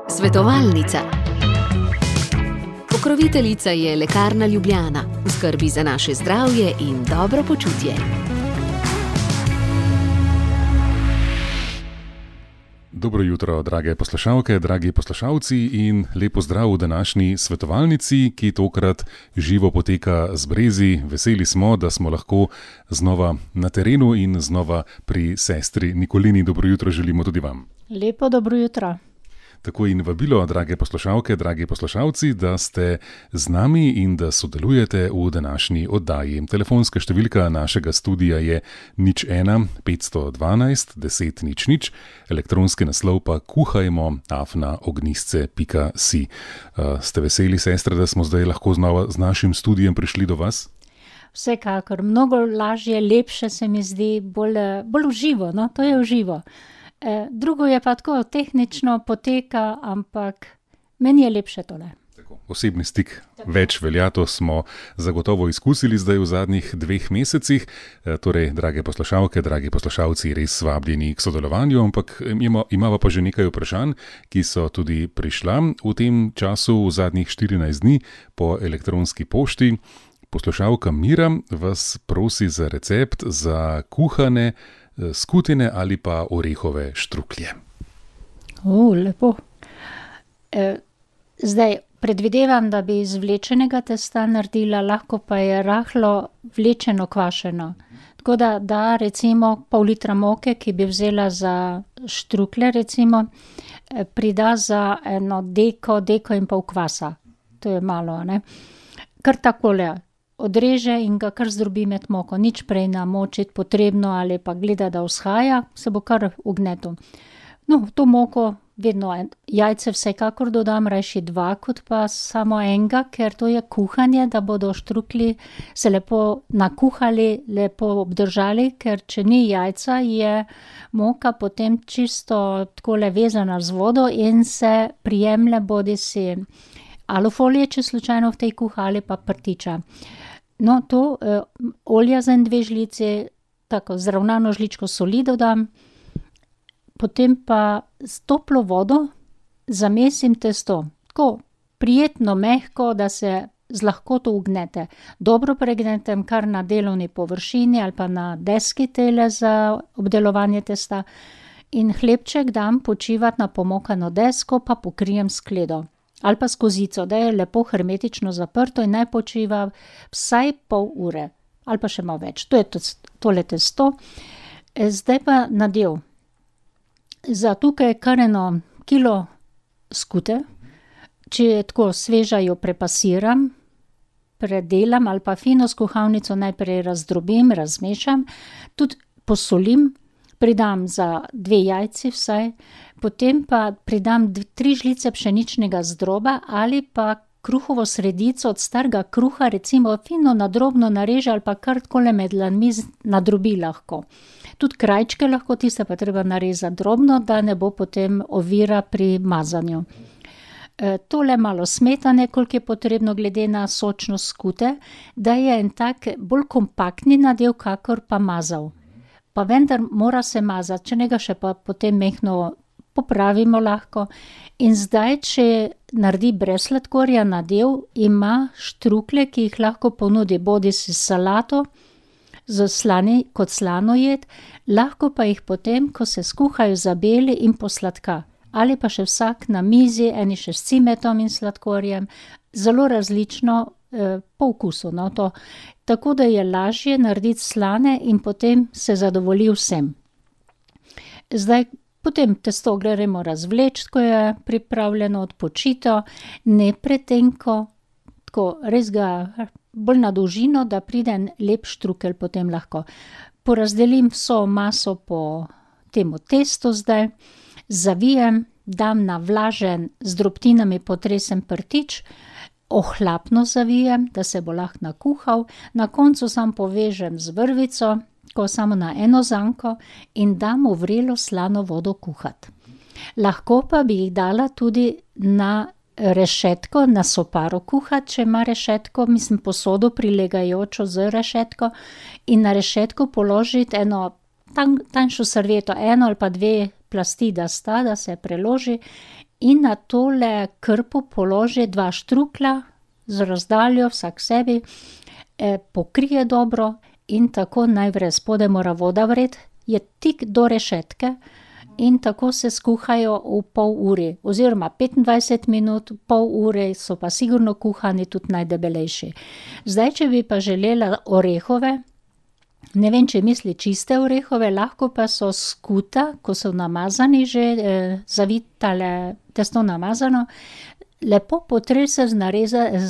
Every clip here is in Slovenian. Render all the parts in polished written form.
Svetovalnica. Pokroviteljica je Lekarna Ljubljana, v skrbi za naše zdravje in dobro počutje. Dobro jutro, drage poslušalke, dragi poslušalci in lepo zdrav v današnji svetovalnici, ki tokrat živo poteka z Brezi. Veseli smo, da smo lahko znova na terenu in znova pri sestri Nikolini. Dobro jutro želimo tudi vam. Lepo dobro jutro. Tako in vabilo, drage poslušalke, dragi poslušalci, da ste z nami in da sodelujete v današnji oddaji. Telefonska številka našega studia je 01 512 10 00, elektronski naslov pa kuhajmo@ognisce.si. Ste veseli, sestre, da smo zdaj lahko znova z našim studijem prišli do vas? Vsekakor, mnogo lažje, lepše se mi zdi, bolj v živo, no, to je v živo. Drugo je pa tako, tehnično poteka, ampak meni je lepše tole. Tako, osebni stik več velja, to smo zagotovo izkusili zdaj v zadnjih 2 mesecih. Torej, drage poslušalke, dragi poslušalci, res vabljeni k sodelovanju, ampak imava pa že nekaj vprašanj, ki so tudi prišla v tem času, v zadnjih 14 dni po elektronski pošti. Poslušalka Mira vas prosi za recept za kuhane skutine ali pa orehove štruklje. Lepo. Zdaj, predvidevam, da bi iz vlečenega testa naredila, lahko pa je rahlo vlečeno kvašeno. Tako da recimo pol litra moke, ki bi vzela za štruklje recimo, prida za eno deko in pol kvasa. To je malo, ne? Kar takole odreže in ga kar zdrobi med moko, nič prej namočiti potrebno ali pa gleda, da vzhaja, se bo kar ugnetil. No, v to moko vedno jajce vsekakor dodam, rajši 2 kot pa samo enega, ker to je kuhanje, da bodo štruklji se lepo nakuhali, lepo obdržali, ker če ni jajca, je moka potem čisto takole vezana z vodo in se prijemlje bodisi alufolije, če slučajno v tej kuha, ali pa prtiča. No, to olja za 2 žlici, tako zravnano žličko soli dodam, potem pa s toplo vodo zamesim testo. Tako prijetno mehko, da se z lahkoto ugnete. Dobro pregnetem kar na delovni površini ali pa na deski tele za obdelovanje testa in hlebček dam počivati na pomokano desko, pa pokrijem s skledo. Ali pa s kozico, da je lepo hermetično zaprto in naj počiva vsaj pol ure. Ali pa še malo več. To je tole testo. Zdaj pa nadev. Za tukaj kar 1 kilo skute. Če je tako sveža, jo prepasiram, predelam ali pa fino s kuhalnico najprej razdrobim, razmešam. Tudi posolim. Pridam za 2 jajci vsaj, potem pa pridam 3 žlice pšeničnega zdroba ali pa kruhovo sredico od starega kruha, recimo fino na drobno nareže ali pa kar takole med dlanmi nadrobi lahko. Tudi krajčke lahko, tiste pa treba narezati drobno, da ne bo potem ovira pri mazanju. Tole malo smetane, koliko je potrebno glede na sočnost skute, da je en tak bolj kompaktni nadev, kakor pa mazav. Pa vendar mora se mazati, če ne ga še pa potem mehno popravimo lahko. In zdaj, če naredi brez sladkorja nadev, ima štruklje, ki jih lahko ponudi bodisi salato, kot slano jed, lahko pa jih potem, ko se skuhajo, zabeli in posladka. Ali pa še vsak na mizi, eni še s cimetom in sladkorjem, zelo različno po okusu, no, to. Tako da je lažje narediti slane in potem se zadovolji vsem. Zdaj, potem testo gremo razvleči, ko je pripravljeno, odpočito, ne pretenko, tako res ga bolj na dolžino, da pride en lep štrukelj potem lahko. Porazdelim vso maso po temu testu zdaj, zavijem, dam na vlažen z drobtinami potresen prtič, ohlapno zavijem, da se bo lahko nakuhal, na koncu sam povežem z vrvico, ko samo na eno zanko in dam v vrelo slano vodo kuhati. Lahko pa bi jih dala tudi na rešetko, na soparo kuhati, če ima rešetko, posodo prilegajočo z rešetko in na rešetko položiti eno tanjšo servieto, 1 ali pa 2 plasti, da se preloži in na tole krpo položi 2 štruklja z razdaljo vsak sebi, pokrije dobro in tako najprej spodaj mora voda vred, je tik do rešetke in tako se skuhajo v pol uri, oziroma 25 minut, pol ure so pa sigurno kuhani tudi najdebelejši. Zdaj, če bi pa želela orehove, ne vem, če misli čiste orehove, lahko pa so skuta, ko so namazani že, zavitale testo namazano, lepo potrese z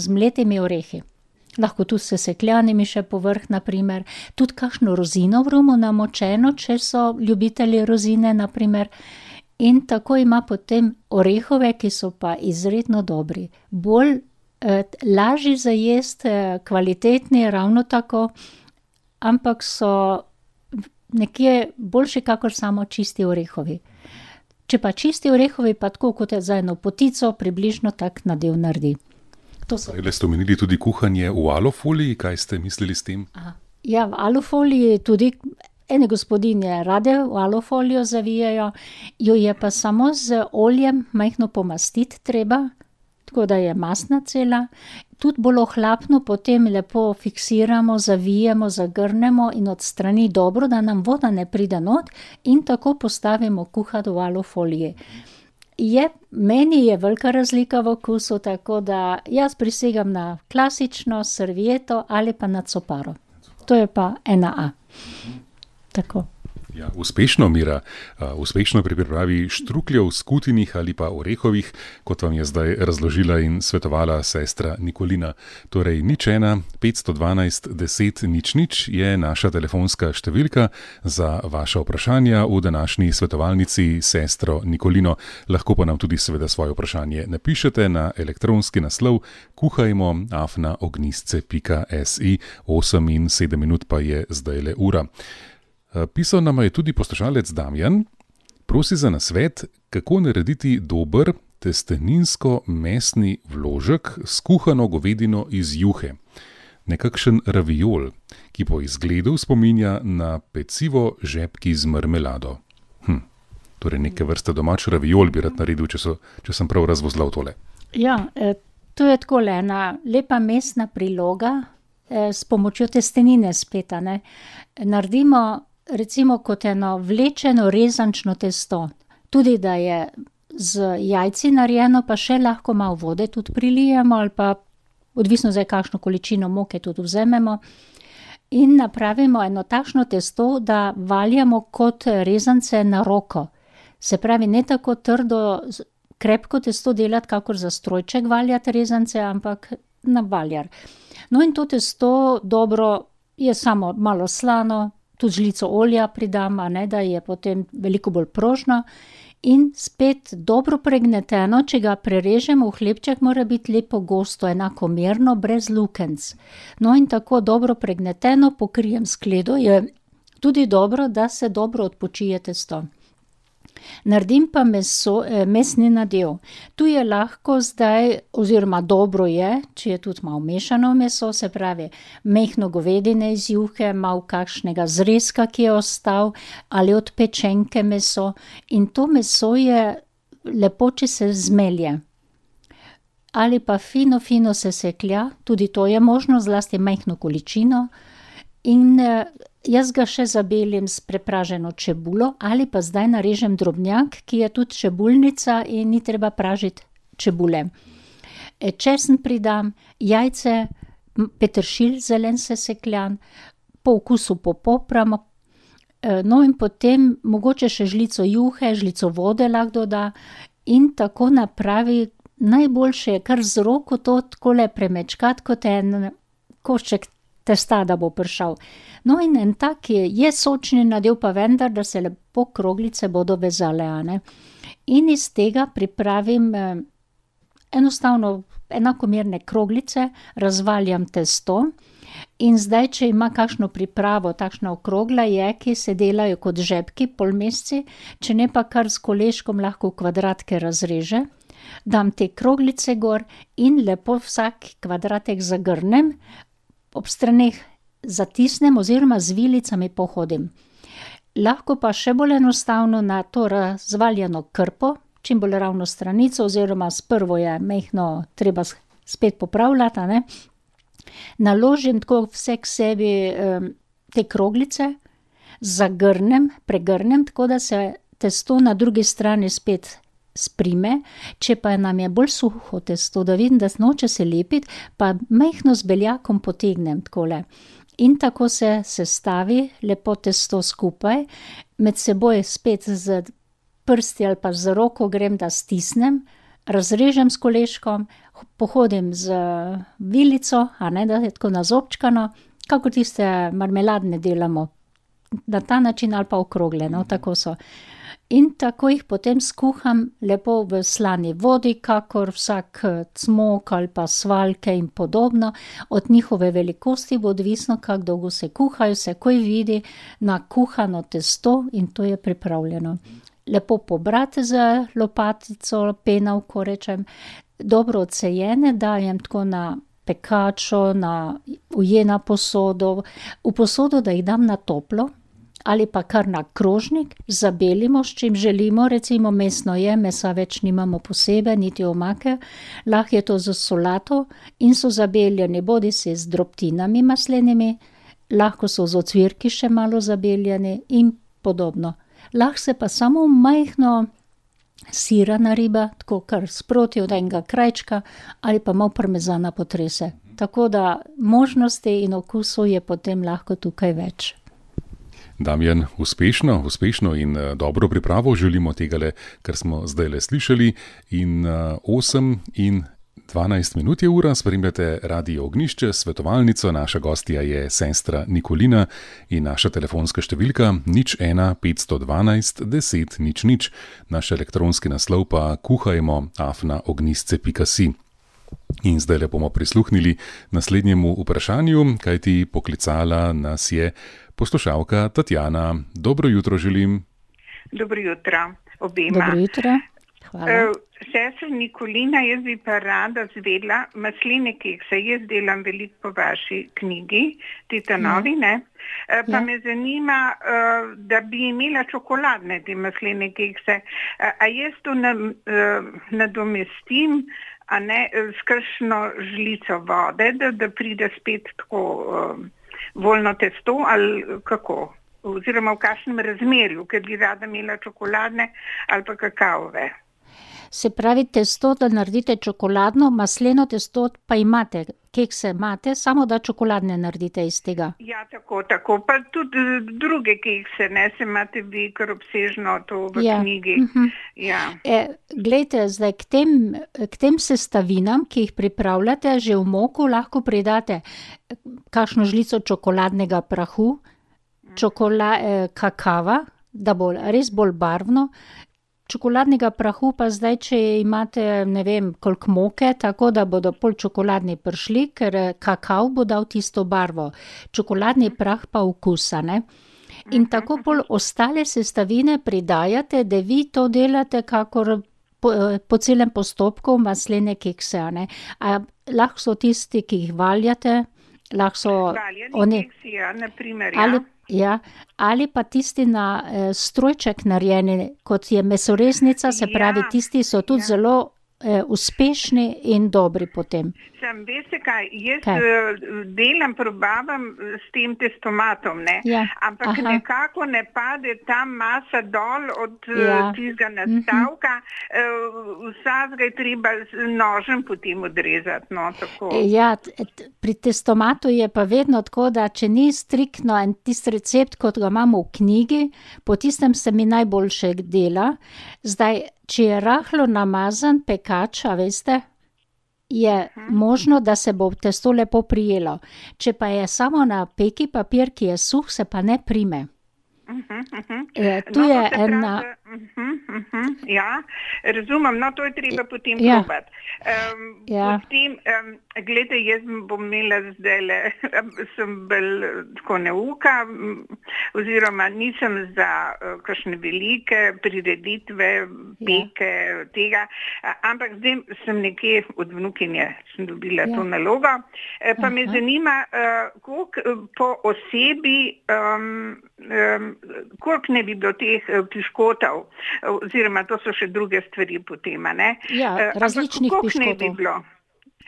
mletimi orehi. Lahko tudi s sesekljanimi še povrh, naprimer, tudi kakšno rozino v rumu namočeno, če so ljubitelji rozine, naprimer, in tako ima potem orehove, ki so pa izredno dobri. Bolj lažji za jest, kvalitetni, ravno tako, ampak so nekje boljši kakor samo čisti orehovi. Če pa čisti orehovi, pa tako kot je za eno potico, približno tak nadev naredi. Prej ste omenili tudi kuhanje v alufoliji, kaj ste mislili s tem? Ja, v alufoliji tudi ene gospodinje rade v alufolijo zavijajo, jo je pa samo z oljem majhno pomastiti treba, tako da je mastna cela. Tudi bolj ohlapno potem lepo fiksiramo, zavijemo, zagrnemo in odstrani dobro, da nam voda ne pride not in tako postavimo kuhati v alufoliji. Meni je velika razlika v okusu, tako da jaz prisegam na klasično servieto ali pa na coparo. To je pa 1A. Tako. Ja, uspešno, Mira, uspešno pri pripravi štrukljev, skutinih ali pa orehovih, kot vam je zdaj razložila in svetovala sestra Nikolina. Torej 01 512 10 00 je naša telefonska številka za vaša vprašanja v današnji svetovalnici sestro Nikolino. Lahko pa nam tudi seveda svoje vprašanje napišete na elektronski naslov kuhajmo@ognisce.si. 8 in 7 minut pa je zdajle ura. Pisal nam je tudi poslušalec Damjan, prosi za nasvet, kako narediti dober testeninsko-mesni vložek s kuhano govedino iz juhe. Nekakšen raviol, ki po izgledu spominja na pecivo žepki z marmelado. Torej neke vrste domač raviol bi rad naredil, če sem prav razvozlal tole. Ja, to je takole ena lepa mesna priloga s pomočjo testenine spet, ne. Naredimo recimo kot eno vlečeno rezančno testo. Tudi da je z jajci narejeno, pa še lahko malo vode tudi prilijemo ali pa odvisno zdaj kakšno količino moke tudi vzamemo. In napravimo eno takšno testo, da valjamo kot rezance na roko. Se pravi, ne tako trdo, krepko testo delati, kakor za strojček valjati rezance, ampak na valjar. No in to testo dobro je samo malo slano, tudi žlico olja pridam, da je potem veliko bolj prožno in spet dobro pregneteno, če ga prerežemo v hlebček, mora biti lepo gosto, enakomerno, brez lukenc. No in tako dobro pregneteno pokrijem skledo, je tudi dobro, da se dobro odpočije testo. Naredim pa mesni nadev. Tu je lahko zdaj, oziroma dobro je, če je tudi malo mešano meso, se pravi, majhno govedine iz juhe, malo kakšnega zrezka, ki je ostal, ali od pečenke meso. In to meso je lepo, če se zmelje. Ali pa fino seseklja, tudi to je možno, zlasti majhno količino. In jaz ga še zabelim s prepraženo čebulo ali pa zdaj narežem drobnjak, ki je tudi čebulnica in ni treba pražiti čebule. Česen pridam, jajce, peteršilj zelen sesekljan, po okusu popopram, no in potem mogoče še žlico juhe, žlico vode lahko doda in tako napravi. Najboljše je kar z roko to takole premečkati kot en košček testa, da bo prišel. No in en tak je sočni nadev, pa vendar, da se lepo kroglice bodo vezale, ne. In iz tega pripravim enostavno enakomerne kroglice, razvaljam testo in zdaj, če ima kakšno pripravo, takšna okrogla je, ki se delajo kot žepki, polmesci, če ne pa kar s koleškom lahko v kvadratke razreže, dam te kroglice gor in lepo vsak kvadratek zagrnem, ob straneh zatisnem oziroma z vilicami pohodim. Lahko pa še bolj enostavno na to razvaljeno krpo, čim bolj ravno stranico, oziroma sprvo je mehko treba spet popravljati, a ne. Naložim tako vse k sebi te kroglice, pregrnem, tako da se testo na drugi strani spet sprime. Če pa nam je bolj suho testo, da vidim, da noče se lepiti, pa mehko z beljakom potegnem takole. In tako se sestavi lepo testo skupaj, med seboj spet z prsti ali pa z roko grem, da stisnem, razrežem s koleškom, pohodim z vilico, a ne, da je tako nazobčkano, kakor tiste marmeladne delamo. Na ta način ali pa okrogle, no, tako so. In tako jih potem skuham lepo v slani vodi, kakor vsak cmok ali pa svaljke in podobno. Od njihove velikosti bo odvisno, kako dolgo se kuhajo, se takoj vidi na kuhano testo in to je pripravljeno. Lepo pobrati z lopatico, penavko rečem, dobro odsejene, dajem tako na pekačo, ujena posodo, v posodo, da jih dam na toplo, ali pa kar na krožnik, zabelimo, s čim želimo, recimo mesno je, mesa več nimamo posebej, niti omake, lahko je to z solato in so zabeljeni bodisi z drobtinami maslenimi, lahko so z ocvirki še malo zabeljeni in podobno. Lahko se pa samo majhno sirana riba, tako kar sproti od enega krajčka, ali pa malo parmezana potrese. Tako da možnosti in okusov je potem lahko tukaj več. Damjan, uspešno in dobro pripravo želimo tegale, kar smo zdajle slišali. In 8:12 minut je ura, spremljate Radio Ognjišče, svetovalnico, naša gostja je sestra Nikolina in naša telefonska številka 01 512 10 00, naš elektronski naslov pa kuhajmo@ognjisce.si. In zdajle bomo prisluhnili naslednjemu vprašanju, kajti poklicala nas je poslušalka Tatjana. Dobro jutro želim. Dobro jutro obema. Dobro jutro, hvala. Sestra Nikolina, jaz bi pa rada zvedla masline kekse. Jaz delam veliko po vaši knjigi, Titanovi, ne? Pa me zanima, da bi imela čokoladne te masline kekse. A jaz to nadomestim, a ne, s kakšno žlico vode, da pride spet tako voljno testo, ali kako? Oziroma v kakšnem razmerju, ker bi rada imela čokoladne ali pa kakaove. Se pravi, testo, da naredite čokoladno, masleno testo pa imate, kekse imate, samo da čokoladne naredite iz tega. Ja, tako, pa tudi druge kekse, ne, se imate vi kar obsežno to v knjigi. Ja. Glejte, zdaj k tem sestavinam, ki jih pripravljate, že v moku lahko pridate kakšno žlico čokoladnega prahu, kakava, da bo res bolj barvno. Čokoladnega prahu pa zdaj, če imate, ne vem, koliko moke, tako da bodo pol čokoladni prišli, ker kakav bo dal tisto barvo. Čokoladni prah pa okusa, ne. In tako pol ostale sestavine pridajate, da vi to delate kakor po celem postopku maslene kekse, ne. Lahko so tisti, ki jih valjate, lahko so valjani keksi, ja, na primer, ja. Ali pa tisti na strojček narejeni, kot je mesoreznica, se pravi, tisti so tudi zelo uspešni in dobri potem. Veste kaj, jaz delam, probavam s tem testomatom, ne, ampak nekako ne pade ta masa dol od tistega nastavka, vsakega je treba nožem potem odrezati, no, tako. Ja, pri testomatu je pa vedno tako, da če ni striktno en tisti recept, kot ga imamo v knjigi, po tistem se mi najboljše dela. Zdaj, če je rahlo namazan pekač, a veste, je možno, da se bo testo lepo prijelo. Če pa je samo na peki papir, ki je suh, se pa ne prime. Tu je ena... Ja, razumem, no to je treba potem probati. Potem, gledajte, jaz bom imela zdajle, sem bolj tako neuka, oziroma nisem za kakšne velike prireditve, peke, tega. Ampak zdaj sem nekje od vnukinje, sem dobila to nalogo. Pa me zanima, koliko po osebi, koliko ne bi bilo teh piškotov, oziroma to so še druge stvari potem, ne? Ja, različnih piškotov.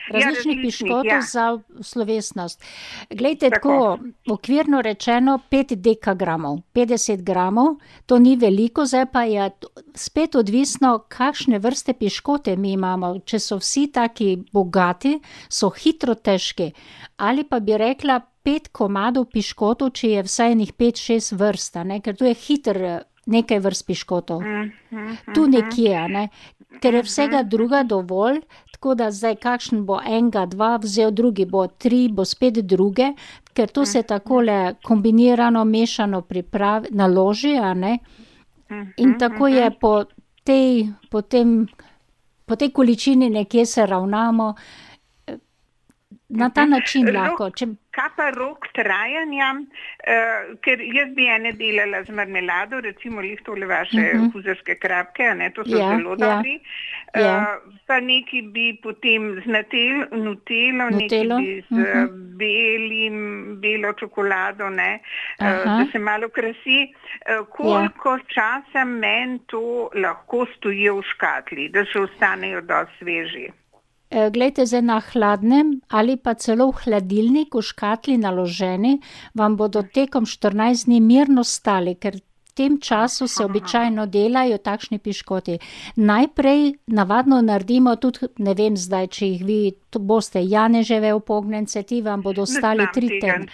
Različnih piškotov za slovesnost. Glejte, tako okvirno rečeno 5 dekagramov, 50 gramov, to ni veliko, zdaj pa je spet odvisno, kakšne vrste piškote mi imamo. Če so vsi taki bogati, so hitro težki. Ali pa bi rekla 5 komadov piškotov, če je vsaj enih 5-6 vrst, ne? Ker tu je hiter nekaj vrst piškotov. Tu nekje, ne? Ker je vsega druga dovolj, tako da zdaj kakšen bo enega, dva vzel, drugi bo 3, bo spet druge, ker to se takole kombinirano, mešano naloži, a ne? In tako je po tej količini nekje se ravnamo, na ta način lahko. Kaj pa rok trajanja, ker jaz bi ene delala z marmelado, recimo tole vaše huzarske krapke, ne, to so zelo dobri, pa neki bi potem z nutelo, neki bi z belo čokolado, ne, da se malo krasi. Koliko časa meni to lahko stoji v škatli, da še ostanejo dosti sveži? Glejte, zdaj na hladnem ali pa celo v hladilnik v škatli naloženi, vam bodo tekom 14 dni mirno stali, ker v tem času se običajno delajo takšni piškoti. Najprej navadno naredimo tudi, ne vem zdaj, če jih vi boste janeževe upognjence, ti vam bodo stali 3 tedne.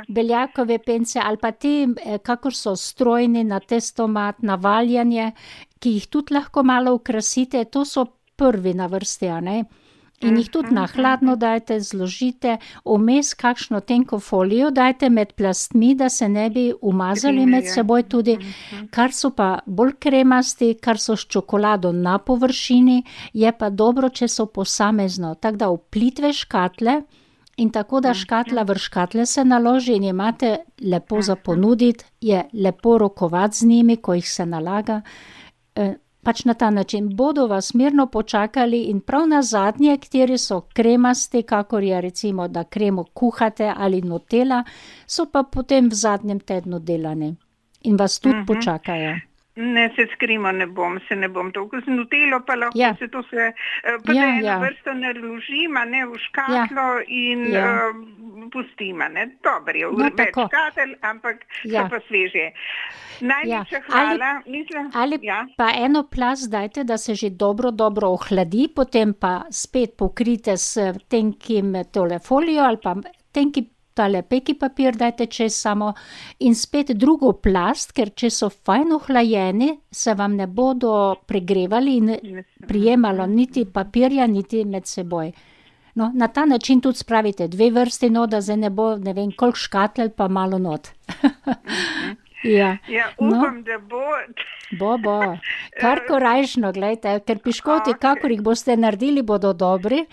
Beljakove pence ali pa ti, kakor so strojni na testomat, na valjanje, ki jih tudi lahko malo okrasite, to so prvi na vrsti, a ne? In jih tudi na hladno dajte, zložite, vmes kakšno tenko folijo dajte med plastmi, da se ne bi umazali med seboj tudi, kar so pa bolj kremasti, kar so s čokolado na površini, je pa dobro, če so posamezno, tako da v plitve škatle in tako da škatla v škatle se naloži in imate lepo za ponuditi, je lepo rokovati z njimi, ko jih se nalaga, pač na ta način bodo vas mirno počakali in prav na zadnje, kateri so kremasti, kakor je recimo, da kremo kuhate ali nutella, so pa potem v zadnjem tednu delani in vas tudi počakajo. Ne, se skrimo ne bom toliko z nutelo, pa lahko se to se, pa da eno vrsto naložima, ne, v škatlo in pustimo, ne, dobro je, več škatel, ampak so pa sveže. Najlepša hvala. Ali pa eno plast dajte, da se že dobro ohladi, potem pa spet pokrite s tenkim tole folijo ali pa tenki tale peki papir dajte čez samo in spet drugo plast, ker če so fajn ohlajeni, se vam ne bodo pregrevali in prijemalo niti papirja, niti med seboj. No, na ta način tudi spravite 2 vrsti, no, da zdaj ne bo, ne vem, koliko škatel pa malo not. Upam, da bo. Bo. Kar korajžno, gledajte, ker piškoti, kakor jih boste naredili, bodo dobri.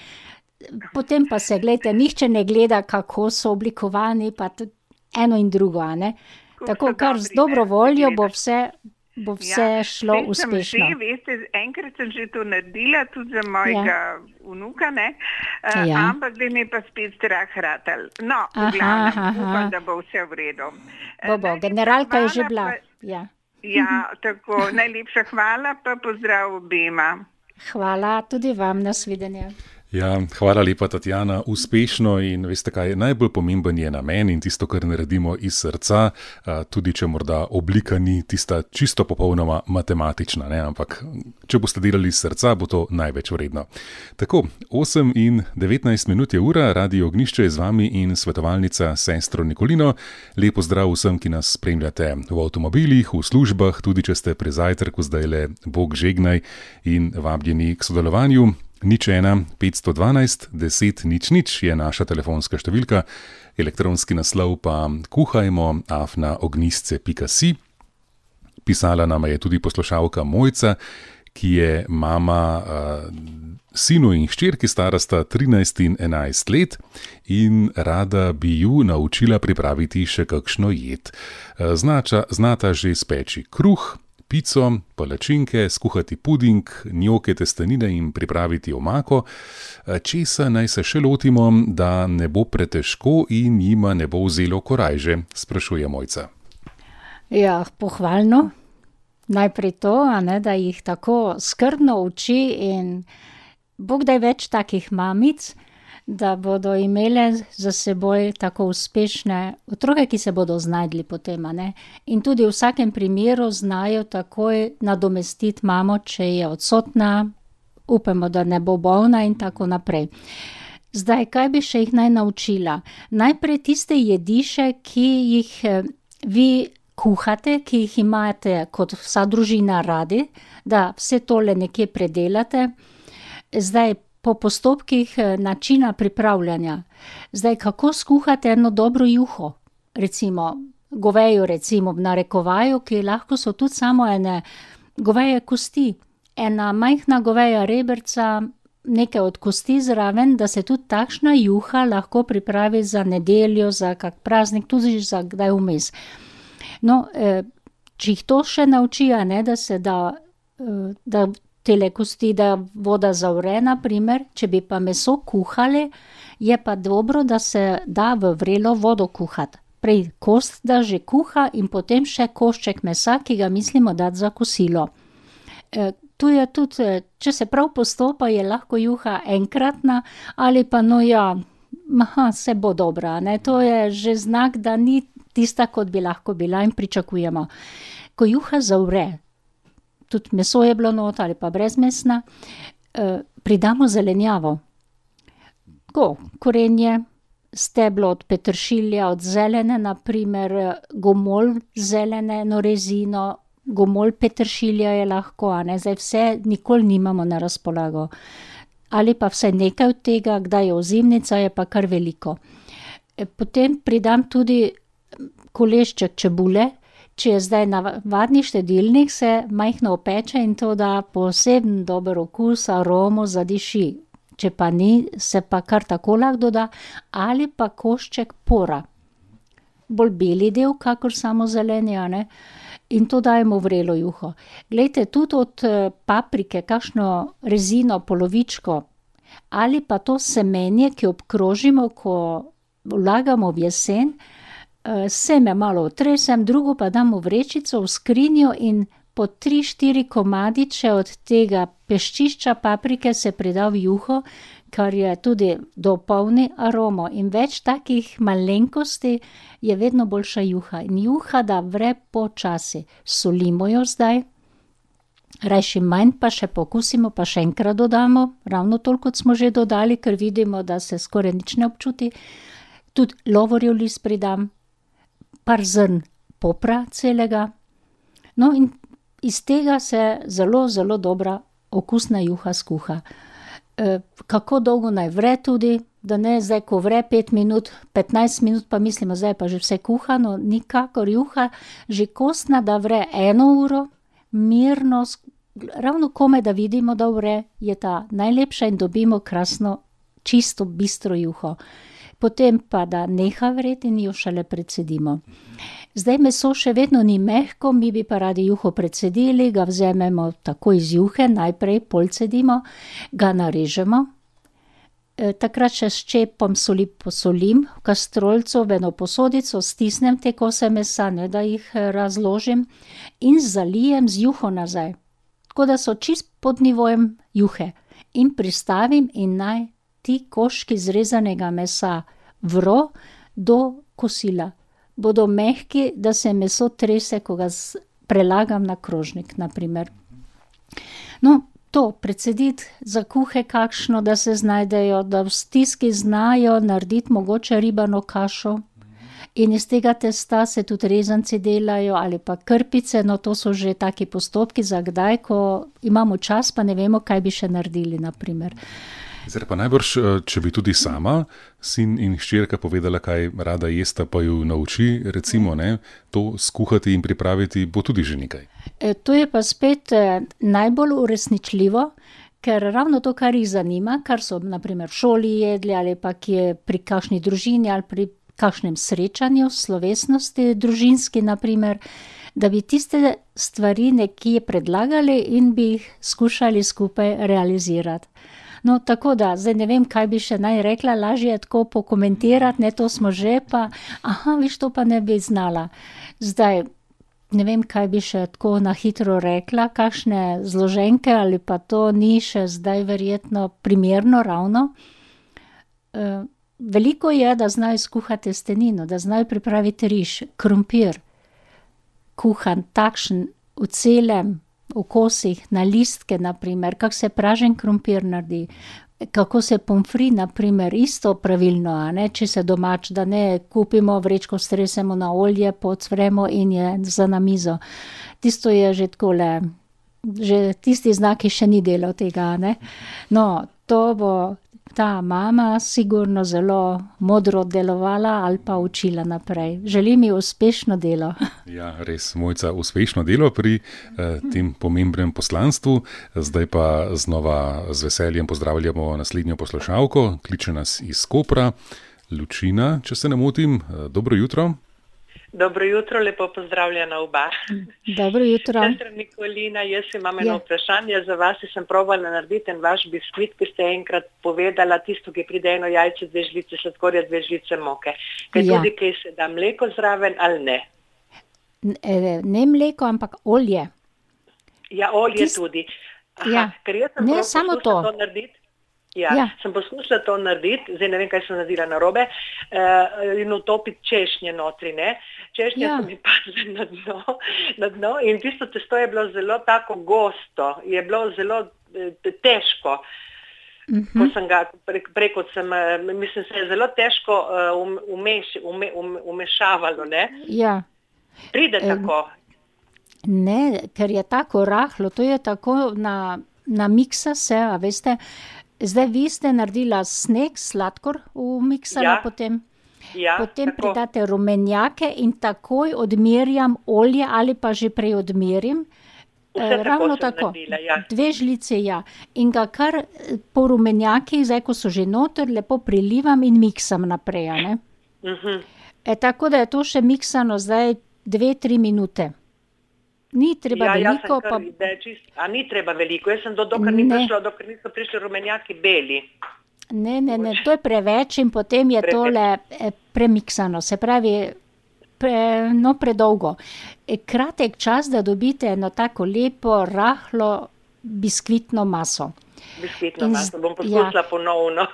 Potem pa se, gledajte, nihče ne gleda, kako so oblikovani, pa tudi eno in drugo, a ne? Tako, kar z dobro voljo bo vse šlo uspešno. Veste, enkrat sem že to naredila, tudi za mojega vnuka, ne? Ampak da mi pa spet strah ratal. No, v glavnem, upam, da bo vse v redu. Bo, generalka je že bila. Tako, najlepša hvala, pa pozdrav obema. Hvala tudi vam, nasvidenje. Ja, hvala lepa, Tatjana, uspešno in veste kaj, najbolj pomemben je namen in tisto, kar naredimo iz srca, tudi če morda oblika ni tista čisto popolnoma matematična, ne, ampak če boste delali iz srca, bo to največ vredno. Tako, 8:19 je ura, Radio Ognjišče je z vami in svetovalnica sestro Nikolino. Lep pozdrav vsem, ki nas spremljate v avtomobilih, v službah, tudi če ste pri zajtrku zdajle, Bog žegnaj in vabljeni k sodelovanju. 01 512 10 00 je naša telefonska številka, elektronski naslov pa kuhajmo@ognjisce.si. Pisala nama je tudi poslušalka Mojca, ki je mama sinu in hčerki, stara sta 13 in 11 let in rada bi ju naučila pripraviti še kakšno jed. Znata že speči kruh, pico, palačinke, skuhati puding, njoke, testenine in pripraviti omako. Česa naj se še lotimo, da ne bo pretežko in jima ne bo vzelo korajže, sprašuje Mojca. Ja, pohvalno. Najprej to, da jih tako skrbno uči in Bog daj več takih mamic, da bodo imele za seboj tako uspešne otroke, ki se bodo znajdli potem, In tudi v vsakem primeru znajo takoj nadomestiti mamo, če je odsotna, upamo, da ne bo bolna in tako naprej. Zdaj, kaj bi še jih naj naučila? Najprej tiste jediše, ki jih vi kuhate, ki jih imate kot vsa družina radi, da vse tole nekje predelate. Zdaj, po postopkih načina pripravljanja. Zdaj, kako skuhate eno dobro juho? Recimo, govejo recimo v narekovaju, ki lahko so tudi samo ene goveje kosti. Ena majhna goveja reberca, nekaj od kosti zraven, da se tudi takšna juha lahko pripravi za nedeljo, za kak praznik, tudi za kdaj vmes. No, če jih to še nauči, da se da tele kosti, da voda zavre, na primer, če bi pa meso kuhali, je pa dobro, da se da v vrelo vodo kuhati. Prej kost da že kuha in potem še košček mesa, ki ga mislimo dati za kosilo. Tu je tudi, če se prav postopa, je lahko juha enkratna ali pa se bo dobra, To je že znak, da ni tista, kot bi lahko bila in pričakujemo. Ko juha zavre, tudi meso je bilo not ali pa brezmesna, pridamo zelenjavo. Korenje, steblo od peteršilja, od zelene, na primer gomolj zelene, rezino, gomolj peteršilja je lahko, Zdaj vse nikoli nimamo na razpolago. Ali pa vsaj nekaj od tega, kdaj je ozimnica, je pa kar veliko. Potem pridam tudi kolešček čebule. Če je zdaj navadni štedilnik, se majhno opeče in to da poseben dober okus, aromo zadiši. Če pa ni, se pa kar tako lahko doda, ali pa košček pora. Bolj beli del, kakor samo zeleni, In to dajemo v vrelo juho. Glejte, tudi od paprike, kakšno rezino, polovičko, ali pa to semenje, ki obkrožimo, ko vlagamo v jesen, seme malo otresem, drugo pa dam v vrečico, v skrinjo in po 3-4 komadiče od tega peščišča paprike se prida v juho, kar je tudi dopolni aromo. In več takih malenkosti je vedno boljša juha. In juha da vre počasi. Solimo jo zdaj, rajši manj, pa še pokusimo, pa še enkrat dodamo. Ravno toliko, kot smo že dodali, ker vidimo, da se skoraj nič ne občuti. Tudi lovorjev list pridam, par zrn popra celega. No, in iz tega se zelo, zelo dobra okusna juha skuha. Kako dolgo naj vre tudi, da ne zdaj, ko vre 5 minut, 15 minut, pa mislimo, zdaj pa že vse kuhano, nikakor juha, že kostna, da vre 1 uro, mirno, ravno kome, da vidimo, da vre, je ta najlepša in dobimo krasno, čisto bistro juho. Potem pa, da neha vreti in jo šele precedimo. Zdaj meso še vedno ni mehko, mi bi pa radi juho precedili, ga vzamemo tako iz juhe, najprej polcedimo, ga narežemo. Takrat še s čepom soli posolim, v kastrolco, v eno posodico, stisnem te kose mesa, da jih razložim in zalijem z juho nazaj. Tako da so čist pod nivojem juhe. In pristavim in naj ti koščki zrezanega mesa vro do kosila. Bodo mehki, da se meso trese, ko ga prelagam na krožnik, na primer. No, to precediti za kuhe kakšno, da se znajdejo, da v stiski znajo narediti mogoče ribano kašo in iz tega testa se tudi rezanci delajo ali pa krpice, no to so že taki postopki za kdaj, ko imamo čas, pa ne vemo, kaj bi še naredili, na primer. Zdaj pa najbrž, če bi tudi sama sin in hčerka povedala, kaj rada jesta, pa ju nauči, recimo, to skuhati in pripraviti, bo tudi že nekaj. To je pa spet najbolj uresničljivo, ker ravno to, kar jih zanima, kar so na primer v šoli jedli ali pa kje pri kakšni družini ali pri kakšnem srečanju, slovesnosti družinski, na primer, da bi tiste stvari nekje predlagali in bi jih skušali skupaj realizirati. No, tako da, zdaj ne vem, kaj bi še naj rekla, lažje je tako pokomentirati, ne, to smo že, pa, viš, to pa ne bi znala. Zdaj, ne vem, kaj bi še tako na hitro rekla, kakšne zloženke ali pa to ni še zdaj verjetno primerno ravno. Veliko je, da znajo skuhati testenino, da znajo pripraviti riž, krompir, kuhan, takšen, v celem, v kosih, na listke, naprimer, kako se pražen krompir naredi, kako se pomfri, naprimer, isto pravilno, a ne, če se domač, da ne kupimo vrečko, stresemo na olje, pocvremo in je za na mizo. Tisto je že takole, že tisti znaki še ni delal tega, ne. No, to bo ta mama sigurno zelo modro delovala ali pa učila naprej. Želim ji uspešno delo. Ja, res, Mojca, uspešno delo pri tem pomembnem poslanstvu. Zdaj pa znova z veseljem pozdravljamo naslednjo poslušalko. Kliče nas iz Kopra. Lučina, če se ne motim. Dobro jutro. Dobro jutro, lepo pozdravljena oba. Dobro jutro. Sestra Nikolina, jaz imam eno vprašanje za vas. Sem probala narediti en vaš biskvit, ki ste enkrat povedala, tisto, ki pride eno jajce, 2 žlice sladkorja, 2 žlice moke. Kaj tudi, kaj se da mleko zraven ali ne? Ne mleko, ampak olje. Ja, olje tudi. Ker jaz sem ne samo to narediti. Sem poskušala to narediti, zdaj ne vem, kaj sem naredila narobe, in utopiti češnje notri, ne. Češnje so mi padle na dno in tisto testo je bilo zelo tako gosto, je bilo zelo težko. Ko sem ga mislim, se je zelo težko umešavalo, ne. Ja. Pride tako. Ne, ker je tako rahlo, to je tako na miksa se, a veste. Zdaj vi ste naredila sneg, sladkor v miksala potem. Potem pridate rumenjake in takoj odmerjam olje ali pa že prej odmerim. Ravno tako. Naredila, 2 žlice, In ga kar po rumenjakih, zdaj ko so že noter, lepo prilivam in miksam naprej, ne. Tako da je to še miksano zdaj 2-3 minute. Ni treba veliko. Ni treba veliko, jaz sem dokler niso prišli rumenjaki beli. Ne, to je preveč in potem je tole premiksano, se pravi predolgo. Kratek čas, da dobite eno tako lepo, rahlo biskvitno maso. Biskvitno maso, bom poskusila ponovno.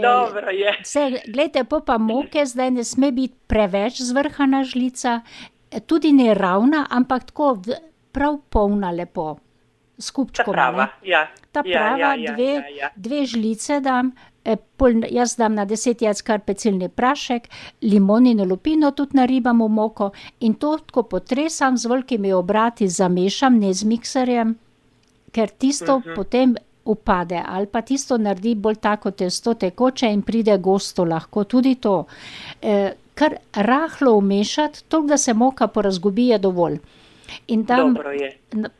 Dobro je. Glejte, pa moke zdaj ne sme biti preveč zvrhana žlica, tudi ne ravna, ampak tako prav polna lepo, s kupčkom. Ta prava, 2 žlice dam, jaz dam na 10 jajc kar pecilni prašek, limonino lupino tudi naribam v moko in to tako potresam, z velikimi obrati zamešam, ne z mikserjem, ker tisto potem upade, ali pa tisto naredi bolj tako testo tekoče in pride gosto lahko, tudi to. Kar rahlo umešati, toliko, da se moka porazgubi, je dovolj. In tam, dobro je.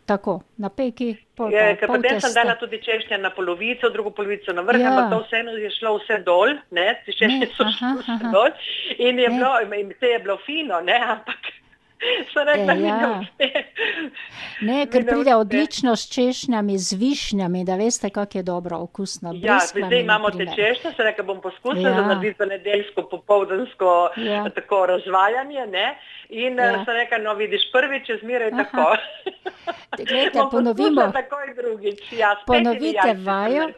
Tako, na peki, pol potem sem dala tudi češnje na polovico, drugo polovico na vrh, ampak to vseeno je šlo vse dol, ne, češnje so šlo vse dol in je bilo fino, ne, ampak so rekla, mi ne uspe. Ne, ker pride odlično s češnjami, z višnjami, da veste, kako je dobro okusno. Zdaj imamo te češnje, se rekla, bom poskusila za narediti nedeljsko, popoldansko tako razvajanje, ne, in se rekla, no vidiš, prvič je zmeraj tako. Glejte, ponovimo. Takoj drugič, ponovite vajo.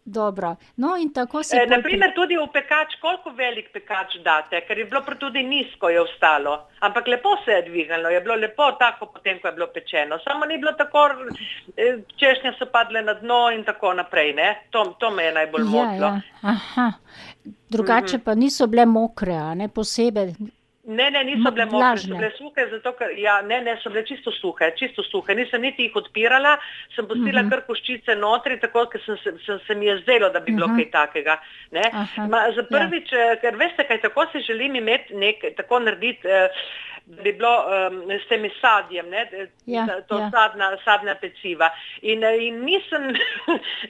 Dobro, no in tako se... Naprimer tudi v pekač, koliko velik pekač date, ker je bilo tudi nizko je ostalo, ampak lepo se je dvignilo, je bilo lepo tako potem, ko je bilo pečeno, samo ni bilo tako, češnje so padle na dno in tako naprej, ne, to me je najbolj motilo. Drugače pa niso bile mokre, a ne, posebej... Ne, niso bile mokre, so bile suhe, zato ker, so bile čisto suhe, nisem niti jih odpirala, sem pustila kar koščice notri, tako, ker se mi je zdelo, da bi bilo kaj takega, ne. Za prvič, ker veste, kaj tako si želim imeti tako narediti, da bi bilo s temi sadjem, ne, sadna peciva. In nisem,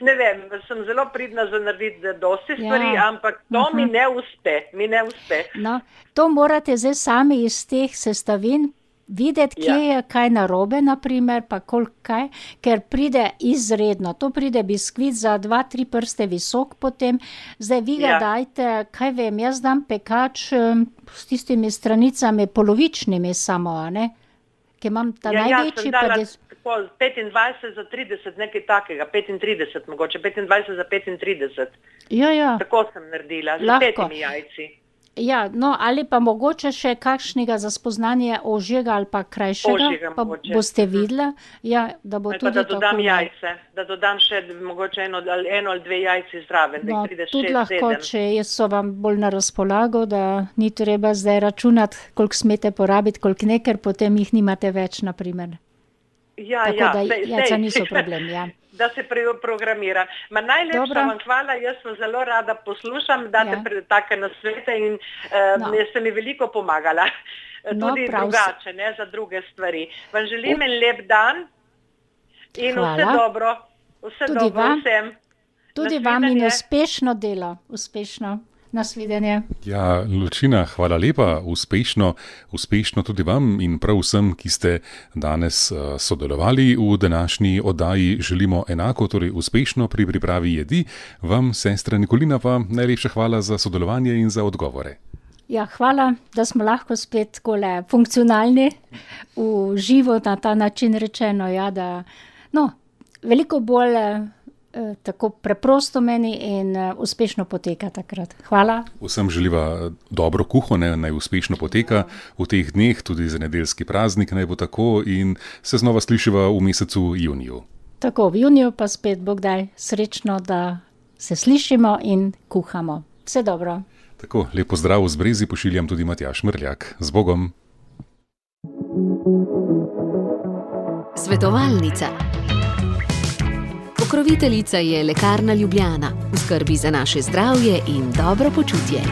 ne vem, sem zelo pridna za narediti dosti stvari, ampak to mi ne uspe. No, to morate zdaj sami iz teh sestavin videti, kje je kaj narobe, naprimer, pa kaj, ker pride izredno. To pride biskvit za 2-3 prste visok potem. Zdaj vi ga dajte, kaj vem, jaz dam pekač s tistimi stranicami polovičnimi samo, ne? Ker imam ta največji... Ja, sem dala 25 za 30, nekaj takega, 35 mogoče, 25 za 35. Ja. Tako sem naredila, z 5 jajci. Ja, no, ali pa mogoče še kakšnega za spoznanje ožjega ali pa krajšega, ožjega pa mogoče. Boste videla, ja, da bo ali tudi pa da dodam tako... jajce, da dodam še mogoče eno ali 2 jajci zraven, da jih pride 6-7. Tudi lahko, če so vam bolj na razpolago, da ni treba zdaj računati, koliko smete porabiti, koliko ne, ker potem jih nimate več, naprimer. Ja, tako da jajca niso problem, ja. Da se programira. Ma najlepša vam hvala, jaz vam zelo rada poslušam, date take nasvete in ste mi veliko pomagala. Tudi drugače, ne, za druge stvari. Vam želim en lep dan in vse dobro. Vse dobro vsem. Tudi vam in uspešno delo. Uspešno. Nasvidenje. Ja, Lučina, hvala lepa, uspešno tudi vam in prav vsem, ki ste danes sodelovali v današnji oddaji. Želimo enako, torej uspešno pri pripravi jedi. Vam, sestra Nikolina, pa najlepša hvala za sodelovanje in za odgovore. Ja, hvala, da smo lahko spet takole funkcionalni, v živo na ta način rečeno, ja, da veliko bolj tako preprosto meni in uspešno poteka takrat. Hvala. Vsem želiva dobro kuho, naj uspešno poteka v teh dneh, tudi za nedeljski praznik naj bo tako in se znova slišiva v mesecu juniju. Tako, v juniju pa spet Bog daj srečno, da se slišimo in kuhamo. Vse dobro. Tako, lep pozdrav z Brezi pošiljam tudi Matjaž Mrljak. Z Bogom. Svetovalnica. Pokroviteljica je Lekarna Ljubljana, v skrbi za naše zdravje in dobro počutje.